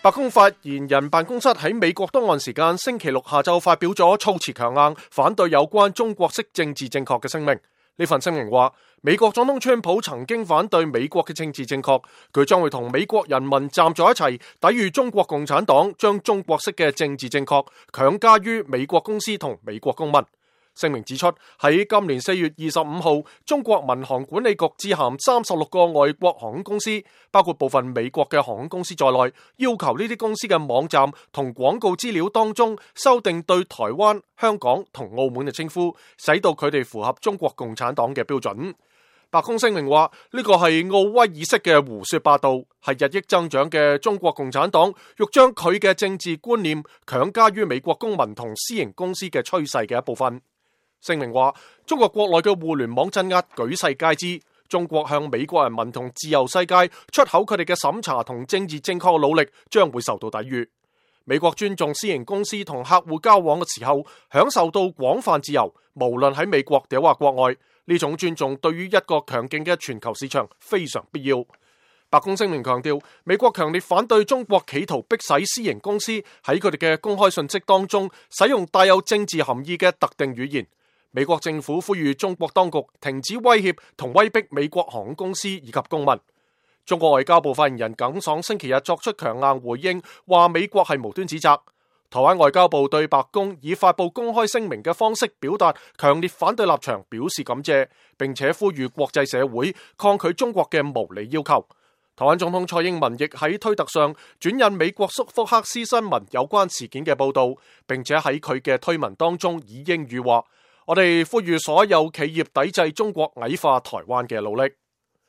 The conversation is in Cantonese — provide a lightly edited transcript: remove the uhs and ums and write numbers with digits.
白宮發言人辦公室喺美國東岸時間星期六下晝發表咗措辭強硬反對有關中國式政治正確嘅聲明。呢份聲明話，美國總統川普曾經反對美國嘅政治正確，佢將會同美國人民站在一齊，抵禦中國共產黨將中國式嘅政治正確強加於美國公司同美國公民。聲明指出，喺今年4月25號，中國民航管理局致函36個外國航空公司，包括部分美國嘅航空公司在內，要求呢啲公司嘅網站同廣告資料當中修訂對台灣、香港同澳門嘅稱呼，使到佢哋符合中國共產黨嘅標準。白宮聲明話，呢個係奧威爾式嘅胡說八道，係日益增長嘅中國共產黨欲將佢嘅政治觀念強加於美國公民同私營公司嘅趨勢嘅一部分。聲明話，中國國內嘅互聯網鎮壓舉世皆知，中國向美國人民同自由世界出口佢哋嘅審查同政治正確嘅努力將會受到抵禦。美國尊重私營公司同客戶交往嘅時候，享受到廣泛自由，無論喺美國定或國外，呢種尊重對於一個強勁嘅全球市場非常必要。白宮聲明強調，美國強烈反對中國企圖迫使私營公司喺佢哋嘅公開信息當中使用帶有政治含義嘅特定語言。美國政府呼籲中國當局停止威脅同威逼美國航空公司以及公民。中國外交部發言人耿爽星期日作出強硬回應，話美國係無端指責。台灣外交部對白宮以發布公開聲明嘅方式表達強烈反對立場表示感謝，並且呼籲國際社會抗拒中國嘅無理要求。台灣總統蔡英文亦喺推特上轉引美國福克斯新聞有關事件嘅報道，並且喺佢嘅推文當中以英語話：我哋呼籲所有企業抵制中國矮化台灣嘅努力。